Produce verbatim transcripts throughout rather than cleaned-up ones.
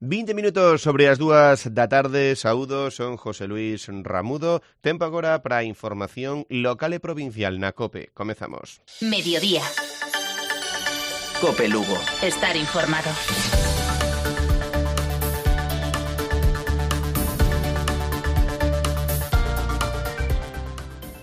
vinte minutos sobre as dúas da tarde, saúdo, son José Luis Ramudo. Tempo agora para a información local e provincial na COPE. Comezamos. Mediodía. COPE Lugo. Estar informado.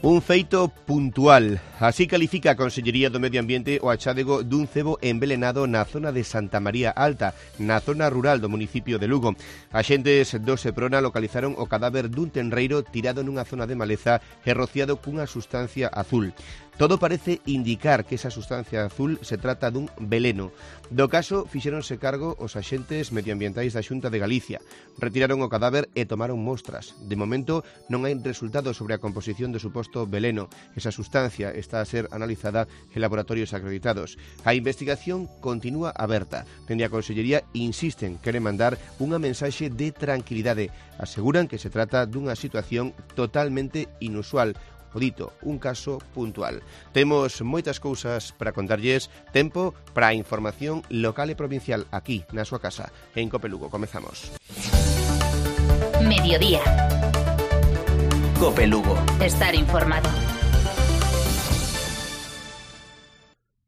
Un feito puntual. Así califica a Consellería do Medio Ambiente o achádego dun cebo envelenado na zona de Santa María Alta, na zona rural do municipio de Lugo. Axentes do Seprona localizaron o cadáver dun tenreiro tirado nunha zona de maleza e rociado cunha sustancia azul. Todo parece indicar que esa sustancia azul se trata dun veleno. Do caso, fixéronse cargo os axentes medioambientais da Xunta de Galicia. Retiraron o cadáver e tomaron mostras. De momento, non hai resultados sobre a composición do suposto veleno. Esa sustancia está a ser analizada en laboratorios acreditados. A investigación continúa aberta. Dende a Consellería insisten que queren mandar unha mensaxe de tranquilidade. Aseguran que se trata dunha situación totalmente inusual. O dito, un caso puntual. Temos moitas cousas para contarlles. Tempo para a información local e provincial aquí, na súa casa, en COPE Lugo. Comezamos. Mediodía. COPE Lugo. Estar informado.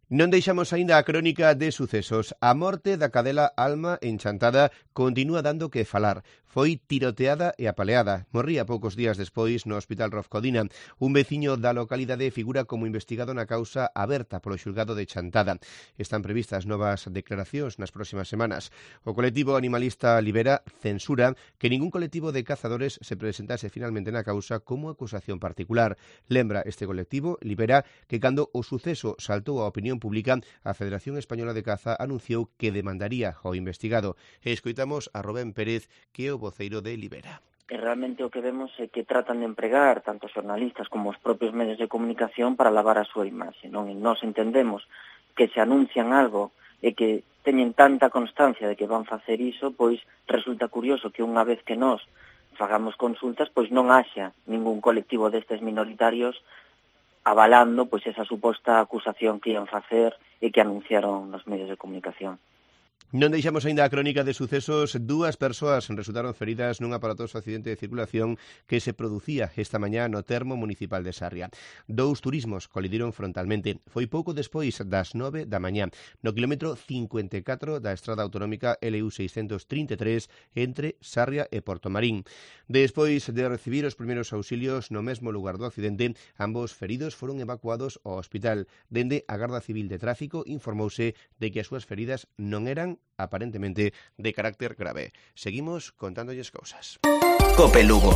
Non deixamos aínda a crónica de sucesos. A morte da cadela Alma Enchantada continúa dando que falar. Foi tiroteada e apaleada. Morría poucos días despois no Hospital Rofcodina. Un veciño da localidade figura como investigado na causa aberta polo xulgado de Chantada. Están previstas novas declaracións nas próximas semanas. O colectivo animalista Libera censura que ningún colectivo de cazadores se presentase finalmente na causa como acusación particular. Lembra este colectivo, Libera, que cando o suceso saltou a opinión pública, a Federación Española de Caza anunciou que demandaría ao investigado. E escoitamos a Rubén Pérez, que é o voceiro de Libera. E realmente o que vemos é que tratan de empregar tanto os xornalistas como os propios medios de comunicación para lavar a súa imaxe, non? E nós entendemos que se anuncian algo e que teñen tanta constancia de que van facer iso, pois resulta curioso que unha vez que nós fagamos consultas, pois non haxa ningún colectivo destes minoritarios avalando pois esa suposta acusación que ian facer e que anunciaron nos medios de comunicación. Non deixamos aínda a crónica de sucesos. Dúas persoas resultaron feridas nun aparatoso accidente de circulación que se producía esta mañá no termo municipal de Sarria. Dous turismos colidiron frontalmente. Foi pouco despois das nove da mañá, no quilómetro cincuenta e catro da estrada autonómica L U seiscentos trinta e tres entre Sarria e Portomarín. Despois de recibir os primeiros auxilios no mesmo lugar do accidente, ambos feridos foron evacuados ao hospital. Dende a Garda Civil de Tráfico informouse de que as súas feridas non eran aparentemente de carácter grave. Seguimos contándolles cousas. COPE Lugo.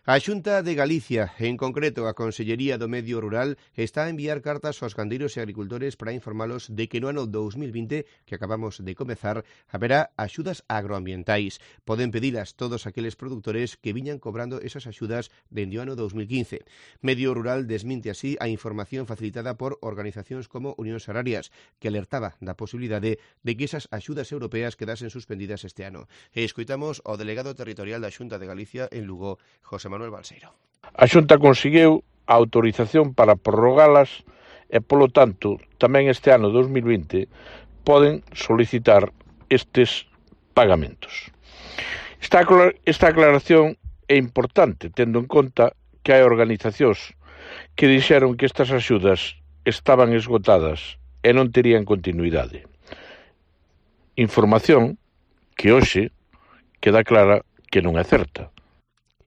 A Xunta de Galicia, en concreto a Consellería do Medio Rural, está a enviar cartas aos gandeiros e agricultores para informalos de que no ano dous mil vinte, que acabamos de comezar, haberá axudas agroambientais. Poden pedilas todos aqueles produtores que viñan cobrando esas axudas dende o ano dous mil quince. Medio Rural desminte así a información facilitada por organizacións como Unións Agrarias, que alertaba da posibilidade de que esas axudas europeas quedasen suspendidas este ano. E escoitamos ao delegado territorial da Xunta de Galicia en Lugo, José Manuel Balseiro. A Xunta conseguiu a autorización para prorrogalas e, polo tanto, tamén este ano dous mil vinte poden solicitar estes pagamentos. Esta, esta aclaración é importante, tendo en conta que hai organizacións que dixeron que estas axudas estaban esgotadas e non terían continuidade. Información que hoxe queda clara que non é certa.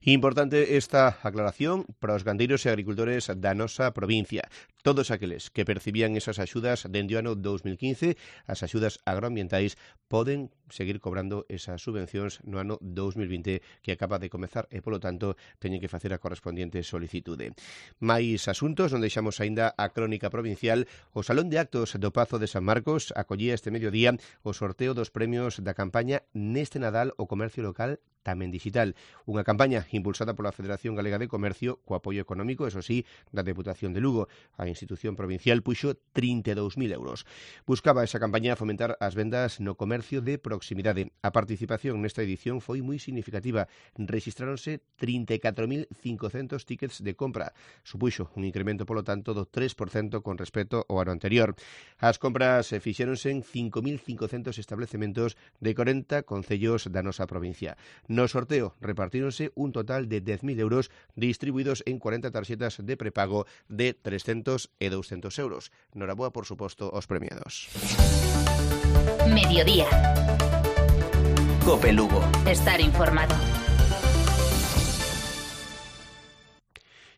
Importante esta aclaración para os gandeiros e agricultores da nosa provincia. Todos aqueles que percibían esas axudas dende o ano dous mil quince, as axudas agroambientais, poden seguir cobrando esas subvencións no ano dous mil vinte que acaba de comezar e, polo tanto, teñen que facer a correspondiente solicitude. Mais asuntos, non deixamos aínda a crónica provincial. O Salón de Actos do Pazo de San Marcos acollía este mediodía o sorteo dos premios da campaña Neste Nadal o Comercio Local tamén digital. Unha campaña impulsada pola Federación Galega de Comercio co apoio económico, eso sí, da Deputación de Lugo. A institución provincial puxo trinta e dous mil euros. Buscaba esa campaña fomentar as vendas no comercio de proximidade. A participación nesta edición foi moi significativa. Rexistráronse trinta e catro mil cincocentos tickets de compra. Supuxo un incremento, polo tanto, do tres por cento con respecto ao ano anterior. As compras fixéronse en cinco mil cincocentos establecementos de corenta concellos da nosa provincia. No sorteo repartíronse un total de dez mil euros distribuídos en cuarenta tarxetas de prepago de trescentos e douscentos euros. Noraboa, por suposto, aos premiados. Mediodía. Cope Lugo. Estar informado.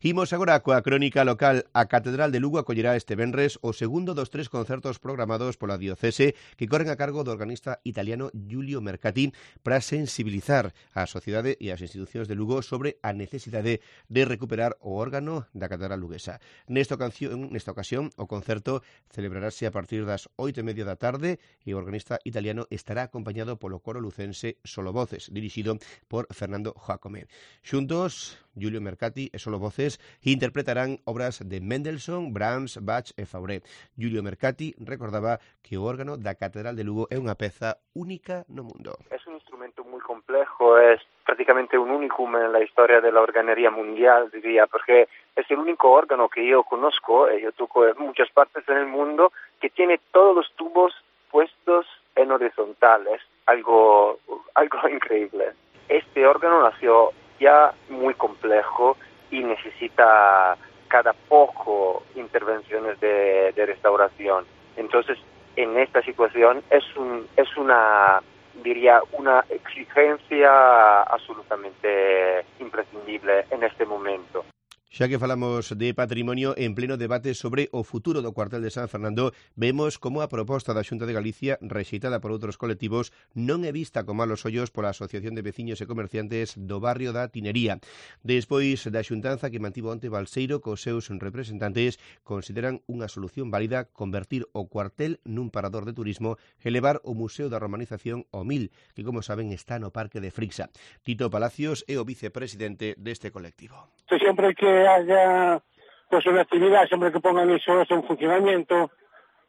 Imos agora coa crónica local. A Catedral de Lugo acollerá este venres o segundo dos tres concertos programados pola diocese que corren a cargo do organista italiano Giulio Mercati para sensibilizar a sociedade e as institucións de Lugo sobre a necesidade de recuperar o órgano da Catedral luguesa. Nesta ocasión, nesta ocasión o concerto celebrarase a partir das oito e media da tarde e o organista italiano estará acompañado polo coro lucense Solo Voces, dirixido por Fernando Jacome. Xuntos, Giulio Mercati e Solo Voces interpretarán obras de Mendelssohn, Brahms, Bach e Fauré. Giulio Mercati recordaba que o órgano da Catedral de Lugo é unha peza única no mundo. Es un instrumento muy complejo, es prácticamente un unicum en la historia de la organería mundial, diría, porque es el único órgano que yo conozco, y yo toco en muchas partes en el mundo, que tiene todos los tubos puestos en horizontal. Es algo, algo increíble. Este órgano nació ya muy complejo y necesita cada poco intervenciones de, de restauración. Entonces, en esta situación es un es una diría una exigencia absolutamente imprescindible en este momento. Xa que falamos de patrimonio, en pleno debate sobre o futuro do cuartel de San Fernando, vemos como a proposta da Xunta de Galicia, rexeitada por outros colectivos, non é vista con malos ollos pola Asociación de Veciños e Comerciantes do barrio da Tinería. Despois da xuntanza que mantivo onte Balseiro cos seus representantes, consideran unha solución válida convertir o cuartel nun parador de turismo e levar o Museo da Romanización ao Mil, que, como saben, está no Parque de Frixa. Tito Palacios é o vicepresidente deste colectivo. Siempre que haya pues una actividad, siempre que pongan eso en funcionamiento,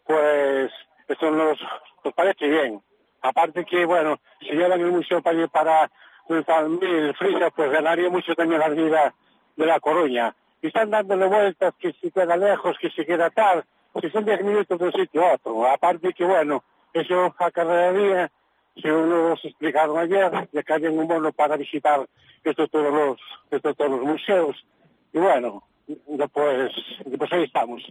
pues eso nos, nos parece bien. Aparte que, bueno, si llevan el museo para ir para el Frixa, pues ganaría mucho también la vida de La Coruña. Y están dándole vueltas, que si queda lejos, que si queda tal, si son diez minutos de un sitio a otro. Aparte que, bueno, eso acarrearía, si uno nos explicaron ayer, de que hay un bono para visitar estos todos los, estos todos los museos. Y bueno, después, después ahí estamos.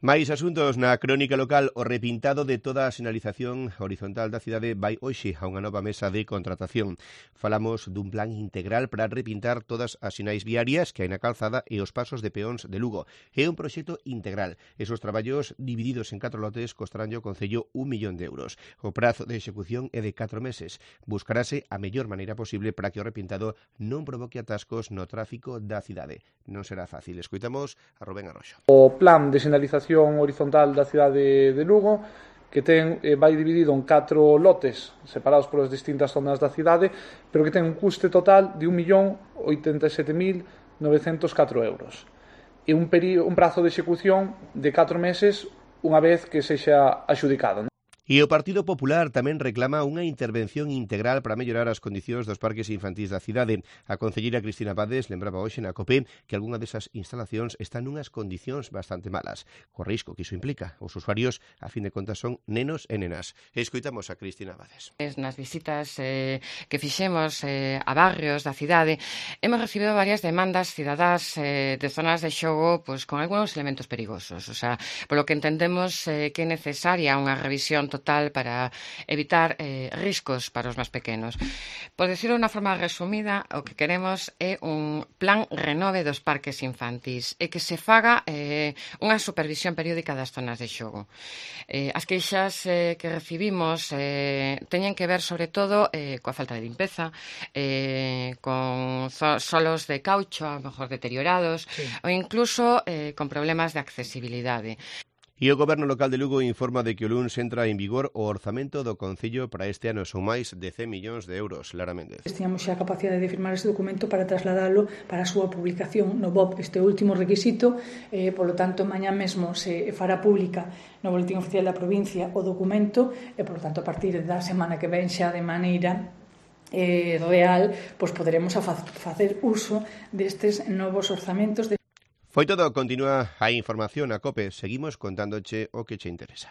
Máis asuntos na crónica local. O repintado de toda a sinalización horizontal da cidade vai hoxe a unha nova mesa de contratación. Falamos dun plan integral para repintar todas as sinais viarias que hai na calzada e os pasos de peóns de Lugo. É un proxecto integral. Esos traballos divididos en catro lotes costarán ao Concello un millón de euros. O prazo de execución é de catro meses. Buscarase a mellor maneira posible para que o repintado non provoque atascos no tráfico da cidade. Non será fácil. Escoitamos a Rubén Arroxo. O plan de sinalización horizontal da cidade de Lugo, que ten eh, vai dividido en catro lotes separados polas distintas zonas da cidade, pero que ten un custe total de un millón oitenta e sete mil novecentos catro euros e un, peri- un prazo de execución de catro meses unha vez que sexa axudicado. E o Partido Popular tamén reclama unha intervención integral para mellorar as condicións dos parques infantís da cidade. A concelleira Cristina Pades lembraba hoxe na COPE que algunha desas instalacións están nunhas condicións bastante malas, co risco que iso implica. Os usuarios, a fin de contas, son nenos e nenas. Escoitamos a Cristina Pades. Nas visitas eh, que fixemos eh, a barrios da cidade, hemos recibido varias demandas cidadás eh, de zonas de xogo pues, con algúns elementos perigosos. O sea, polo que entendemos eh, que é necesaria unha revisión total para evitar eh, riscos para os máis pequenos. Por decirlo de unha forma resumida, o que queremos é un plan renove dos parques infantís e que se faga eh, unha supervisión periódica das zonas de xogo. Eh, as queixas eh, que recibimos eh, teñen que ver sobre todo eh, coa falta de limpeza, eh, con solos de caucho a lo mejor deteriorados, sí, ou incluso eh, con problemas de accesibilidade. E o Goberno local de Lugo informa de que o luns entra en vigor o orzamento do Concello para este ano. Son máis de cen millóns de euros. Lara Méndez. Tiñamos xa a capacidade de firmar este documento para trasladalo para a súa publicación no B O P, este último requisito, eh, polo tanto, mañá mesmo se fará pública no Boletín Oficial da Provincia o documento e, polo tanto, a partir da semana que ven xa de maneira eh, real, pois poderemos a facer uso destes novos orzamentos. De... Foi todo, continúa a información a COPE. Seguimos contándoche o que che interesa.